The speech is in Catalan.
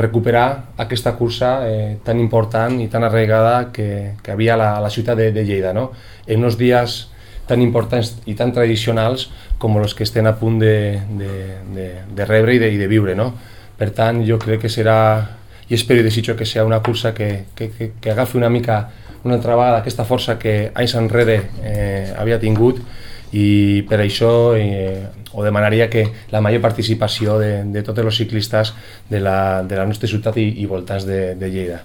recuperar aquesta cursa tan important i tan arraigada que havia a la ciutat de Lleida, no? En uns dies tan importants i tan tradicionals com els que estem a punt de rebre i de viure, no? Per tant, jo crec que serà, i espero i desitjo que sigui una cursa que agafi una altra vegada aquesta força que anys enrere havia tingut, i per això ho demanaria que la major participació de tots els ciclistes de la nostra ciutat i voltants de Lleida.